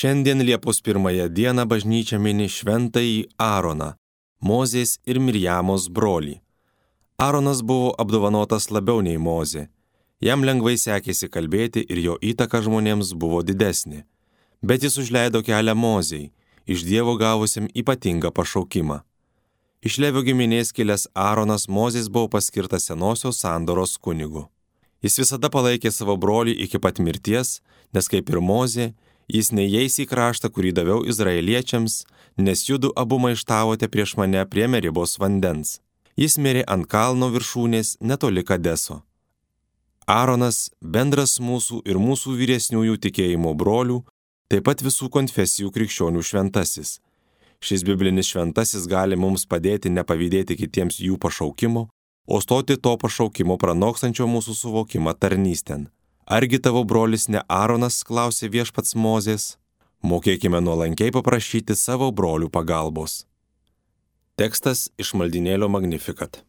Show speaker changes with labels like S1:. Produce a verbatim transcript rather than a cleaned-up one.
S1: Šiandien Liepos pirmąją dieną bažnyčia mini šventąjį Aaroną, Mozės ir Mirjamos brolį. Aaronas buvo apdovanotas labiau nei Mozė. Jam lengvai sekėsi kalbėti ir jo įtaka žmonėms buvo didesnė. Bet jis užleido kelią Mozei, iš Dievo gavusiam ypatingą pašaukimą. Iš Levio giminės kilęs Aaronas Mozės buvo paskirtas senosios sandoros kunigu. Jis visada palaikė savo brolį iki pat mirties, nes kaip ir Mozė, jis neįeis į kraštą, kurį daviau izraeliečiams, nes judu abu maištavote prieš mane prie Meribos vandens. Jis mirė ant kalno viršūnės netoli Kadeso. Aaronas, bendras mūsų ir mūsų vyresniųjų tikėjimo brolių, taip pat visų konfesijų krikščionių šventasis. Šis biblinis šventasis gali mums padėti nepavydėti kitiems jų pašaukimo, o stoti to pašaukimo pranokstančio mūsų suvokimą tarnystėn. Argi tavo brolis ne Aaronas, klausė viešpats Mozės? Mokėkime nuolankiai paprašyti savo brolių pagalbos. Tekstas iš maldynėlio Magnificat.